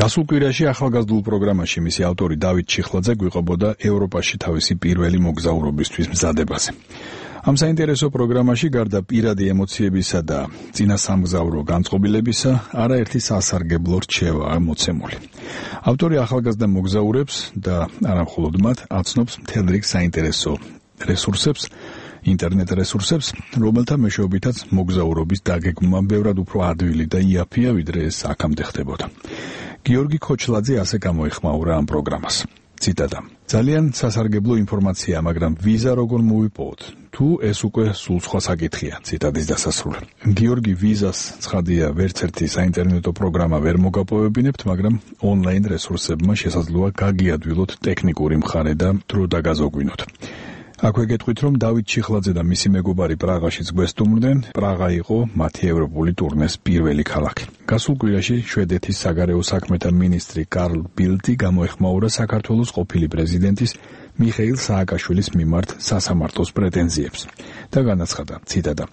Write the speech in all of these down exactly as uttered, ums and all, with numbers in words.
გასულ კვირაში ახალგაზრდულ პროგრამაში მისი ავტორი დავით ჩიხლაძე გვიყვებოდა ევროპაში თავისი პირველი მოგზაურობისთვის მზადებაზე. ამ საინტერესო პროგრამაში გარდა პირადი ემოციებისა და წინასამგზავრო განწყობილებისა, არაერთი სასარგებლო რჩევაა მოცემული. ავტორი ახალგაზრდა მოგზაურებს და არა მხოლოდ მათ აცნობს მთელ რიგ საინტერესო რესურსებს, ინტერნეტ რესურსებს, რომელთა მეშვეობითაც მოგზაურობის დაგეგმვა ბევრად უფრო ადვილი და იაფია, ვიდრე ეს აქამდე ხდებოდა. გიორგი ქოჩლაძე ასე გამოეხმაურა ამ პროგრამას. ციტატა: ძალიან სასარგებლო ინფორმაცია, მაგრამ ვიზა როგორ მოვიპოვოთ? თუ ეს უკვე სულ სხვა საკითხია. ციტატის დასასრული. გიორგი, ვიზას ცხადია ვერც ერთი საინტერნეტო პროგრამა ვერ მოგაპოვებინებთ, მაგრამ ონლაინ რესურსებმა შესაძლოა გაგიადვილოთ ტექნიკური მხარე და დრო დაგაზოგვინოთ. აქვე გეტყვით, რომ დავით ჩიხლაძე და მისი მეგობარი პრაღაშიც გვესტუმრდნენ. პრაღა იყო მათი ევროპული ტურნეს პირველი ქალაქი. გასულ კვირაში შვედეთის საგარეო საქმეთა მინისტრი კარლ ბილდი გამოეხმაურა საქართველოს ყოფილი პრეზიდენტის მიხეილ სააკაშვილის მიმართ სასამართლოს პრეტენზიებს და განაცხადა, ციტატა: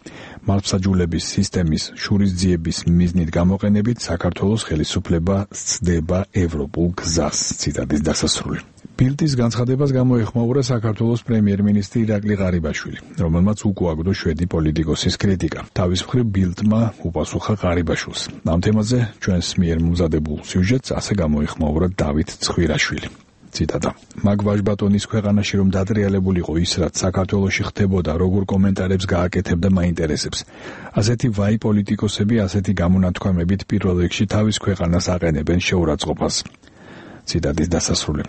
მართლმსაჯულების სისტემის შურისძიების მიზნით გამოყენებით საქართველოს ხელისუფლება სცდება ევროპულ გზას. ციტატის დასასრული. ბილდის განცხადებას გამოეხმაურა საქართველოს პრემიერ-მინისტრი ირაკლი ღარიბაშვილი, რომელმაც უკუაგდო შვედი პოლიტიკოსის კრიტიკა. თავის მხრივ ბილდმა უპასუხა ღარიბაშვილს. ამ თემაზე ჩვენს მიერ მომზადებულ სიუჟეტს ასე გამოეხმაურა დავით ცხვირაშვილი. ციტატა: მაგ ვაჟბატონის ქვეყანაში რომ დატრიალებულიყო ის, რაც საქართველოში ხდებოდა, როგორ კომენტარებს გააკეთებდა მაინტერესებს. ასეთი ვაი პოლიტიკოსები ასეთი გამონათქვამებით პირველ რიგში თავის ქვეყანას აყენებენ შეურაცხყოფას. ციტატის დასასრული.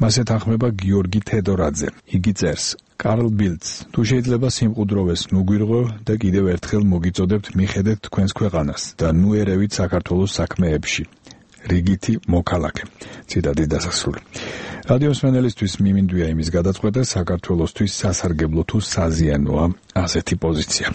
მას ეთანხმება გიორგი თედორაძე. იგი წერს: კარლ ბილდს, თუ შეიძლება სიმყუდროვეს ნუგვირღო და კიდევ ერთხელ მოგიწოდებთ მიხედეთ თქვენს ქვეყანას და ნუ ერევით საქართველოს საქმეებში. რიგითი მოქალაქე. ციტატის დასასრული. რადიო მსმენელისთვის მიმინდვია იმის გადაწყვეტა, საქართველოსთვის სასარგებლო თუ საზიანოა ასეთი პოზიცია.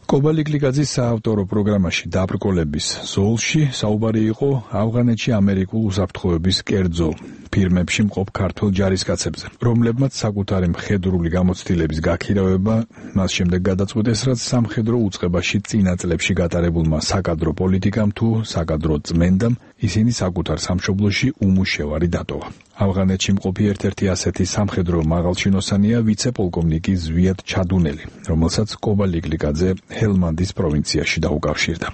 კობალიკლიკაძის საავტორო პროგრამაში დაბრკოლების ზოლში საუბარი იყო ავღანეთში ამერიკულ უსაფრთხოების კერძო ფირმებში მყოფ ქართველ ჯარისკაცებზე, რომლებმაც საკუთარი მხედრული გამოცდილების გაქირავება მას შემდეგ გადაწყვიტეს, რაც სამხედრო უწყებაში წინა წლებში გატარებულმა საკადრო პოლიტიკამ თუ საკადრო წმენდამ ისინი საკუთარ სამშობლოში უმუშევარი დატოვა. ავღანეთში მყოფი ერთ-ერთი ასეთი სამხედრო მაღალჩინოსანია ვიცე-პოლკოვნიკი ზვიად ჩადუნელი, რომელსაც კობალიკლიკაძე ჰელმანდის პროვინციაში დაუკავშირდა.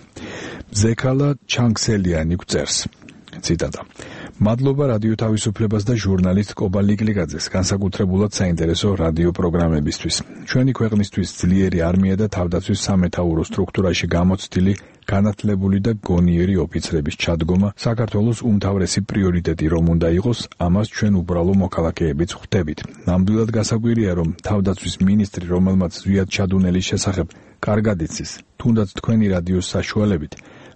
მზექალა ჩანგსელიანი გვწერს, ციტატა: მადლობა რადიო თავისუფლებას და ჟურნალისტ კობალიკლიკაძეს განსაკუთრებულად საინტერესო რადიო პროგრამებისთვის. ჩვენი ქვეყნისთვის ძლიერი არმია და თავდაცვის სამეთაურო სტრუქტურაში გამოცდილი განათლებული და გონიერი ოფიცრების ჩადგომა საქართველოს უმთავრესი პრიორიტეტი რომ უნდა იყოს, ამას ჩვენ უბრალო მოქალაქეებიც ხვდებით. ნამდვილად გასაკვირია, რომ თავდაცვის მინისტრი, რომელმაც ზვიად ჩადუნელის შესახებ კარგად იცის, თუნდაც თქვენი რადიოს საშუალებით,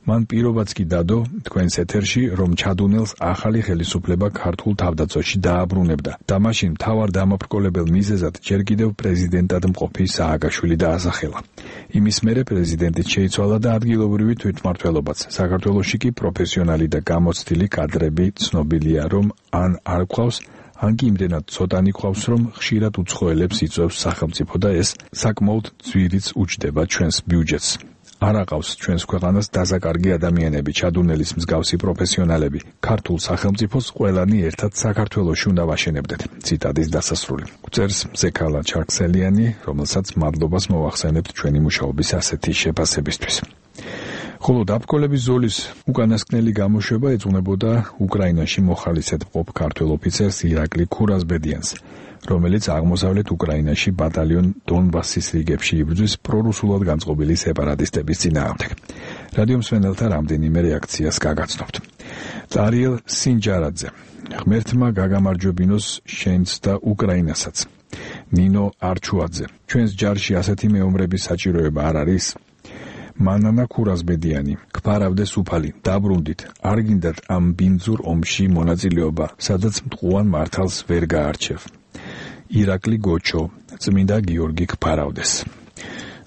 მან პირობაც კი დადო თქვენს ეთერში, რომ ჩადუნელს ახალი ხელისუფლება ქართულ თავდაცვაში დააბრუნებდა და მაშინ მთავარ დამაბრკოლებელ მიზეზად ჯერ კიდევ პრეზიდენტად მყოფი სააკაშვილი დაასახელა. იმის მერე პრეზიდენტიც შეიცვალა და ადგილობრივი თვითმმართველობაც. საქართველოში კი პროფესიონალი და გამოცდილი კადრები ცნობილია, რომ ან არ გვყავს, ან კი იმდენად ცოტანი გვყავს, რომ ხშირად უცხოელებს იწვევს სახელმწიფო და ეს საკმაოდ ძვირიც უჯდება ჩვენს ბიუჯეტს. არ აყავს ჩვენს ქვეყანას დაზაკარგი ადამიანები, ჩადუნელის მსგავსი პროფესიონალები. ქართულ სახელმწიფოს ყველანი ერთად საქართველოში უნდა ვაშენებდეთ. ციტატის დასასრული. წერს მზექალა ჩანგსელიანი, რომელსაც მადლობას მოვახსენებთ ჩვენი მუშაობის ასეთი შეფასებისთვის. ხოლო დაბრკოლების ზოლის უკანასკნელი გამოშვება ეძღვნებოდა უკრაინაში მოხალისედ მყოფ ქართველ ოფიცერს ირაკლი ქურაზბედიანს, რომელიც აღმოსავლეთ უკრაინაში ბატალიონ დონბასის რიგებში იბრძვის პრორუსულად განწყობილი სეპარატისტების წინააღმდეგ. რადიო მსმენელთა რამდენიმე რეაქციას გაგაცნობთ. წარიელ სინჯარაძე: ღმერთმა გაგამარჯვებინოს შენც და უკრაინასაც. ნინო არჩუაძე: ჩვენს ჯარში ასეთი მეომრების საჭიროება არ არის? მანანა ქურაზბედიანი: გფარავდეს უფალი, დაბრუნდით, არ გინდათ ამ ბინძურ ომში მონაწილეობა, სადაც მტყუან მართალს ვერ გაარჩევ. ირაკლი გოჩო: წმინდა გიორგი გფარავდეს.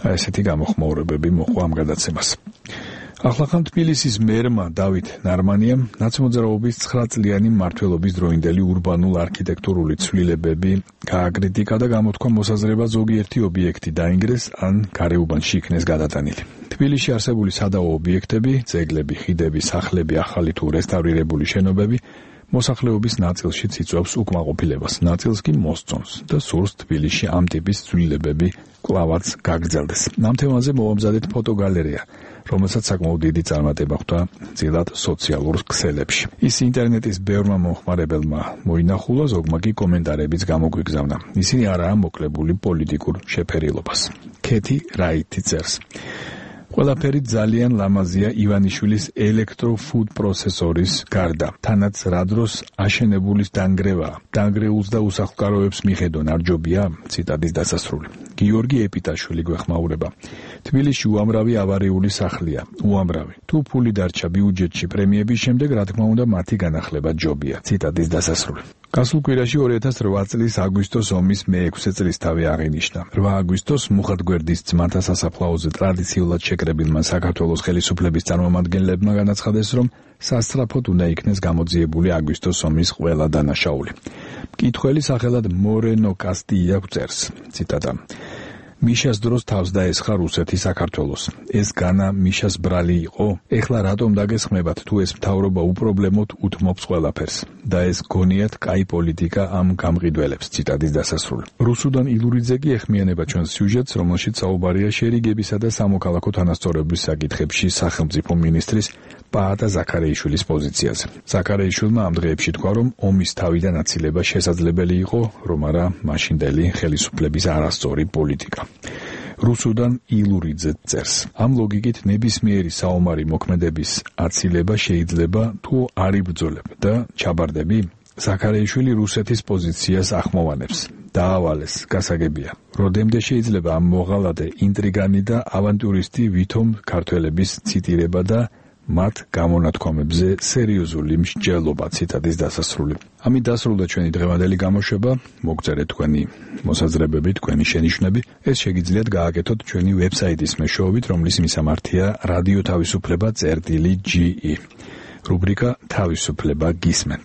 აი ესეთი გამოხმაურებები მოყვა ამ გადაცემას. ახლახან თბილისის მერმა დავით ნარმანიამ ნაცმოძრაობის ცხრა წლიანი მმართველობის დროინდელი ურბანულ არქიტექტურული ცვლილებები გააკრიტიკა და გამოთქვა მოსაზრება ზოგიერთი ობიექტი დაინგრეს ან გარეუბანში იქნეს გადატანილი. თბილისში არსებული სადავო ობიექტები, ძეგლები, ხიდები, სახლები, ახალი თუ რესტავრირებული შენობები მოსახლეობის ნაწილშიც იწვევს უკმაყოფილებას, ნაწილს კი მოსწონს და სურს თბილისში ამ ტიპის ცვლილებები კვლავაც გაგრძელდეს. ამ თემაზე მოვამზადეთ ფოტოგალერეა, რომელსაც საკმაოდ დიდი წარმატება ხვდა ძილად სოციალურ ქსელებში. ის ინტერნეტის ბევრმა მომხმარებელმა მოინახულა, ზოგმა კი კომენტარებიც გამოგვიგზავნა. ისინი არაა მოკლებული პოლიტიკურ შეფერილობას. ქეთი რაითი წერს. ყველაფერი ძალიან ლამაზია ივანიშვილის ელექტროფუდ პროცესორის გარდა. თანაც რა დროს აშენებულის დანგრევა, დანგრეულს და უსახლკაროებს მიხედონ არ ჯობია? ციტატის დასასრული. გიორგი ეპიტაშვილი გვეხმაურება. თბილისში უამრავი ავარიული სახლია, უამრავი. თუ ფული დარჩა ბიუჯეტში პრემიების შემდეგ, რა თქმა უნდა, მათი განახლება ჯობია. ციტატის დასასრული. გასულ კვირაში ორი ათას რვა წლის აგვისტოს ომის მეექვსე წლისთავი აღინიშნა. რვა აგვისტოს მუხათგვერდის ძმათა სასაფლაოზე ტრადიციულად შეკრებილმა საქართველოს ხელისუფლების წარმომადგენლებმა განაცხადეს, რომ სასწრაფოდ უნდა იქნეს გამოძიებული აგვისტოს ომის ყველა დანაშაული. მკითხველი სახელად მორენო კასტია წერს, ციტატა. მიშას დროს თავს დაესხა რუსეთი საქართველოს. ეს განა მიშას ბრალი იყო? ეხლა რატომ დაგესხმებათ, თუ ეს მთავრობა უპრობლემოდ უთმობს ყველაფერს და ეს გონიათ კაი პოლიტიკა ამ გამყიდველებს. ციტატის დასასრული. რუსუდან ილურიძე კი ეხმიანება ჩვენს სიუჟეტს, რომელშიც საუბარია შერიგებისა და სამოქალაქო თანასწორობის საკითხებში სახელმწიფო მინისტრის პაატა ზაქარეიშვილის პოზიციაზე. ზაქარეიშვილმა ამ დღეებში თქვა, რომ ომის თავიდან აცილება შესაძლებელი იყო, რომ არა მაშინდელი ხელისუფლების არასწორი პოლიტიკა. რუსუდან ილურიძე წერს. ამ ლოგიკით ნებისმიერი საომარი მოქმედების აცილება შეიძლება თუ არ იბრძოლებ და ჩაბარდები? ზაქარეიშვილი რუსეთის პოზიციას ახმოვანებს. დაავალეს, გასაგებია. როდემდე შეიძლება ამ მოღალადე ინტრიგანი და ავანტურისტი ვითომ ქართველების ციტირება და მათ გამონათქვამებზე სერიოზული მსჯელობა. ციტატის დასასრული. ამით დასრულდა ჩვენი დღევანდელი გამოშვება. მოგწერეთ თქვენი მოსაზრებები, თქვენი შენიშვნები. ეს შეგიძლიათ გააკეთოთ ჩვენი ვებსაიტის მეშვეობით, რომლის მისამართია რადიო თავისუფლება წერტილი ჯი ი. რუბრიკა თავისუფლება გისმენთ.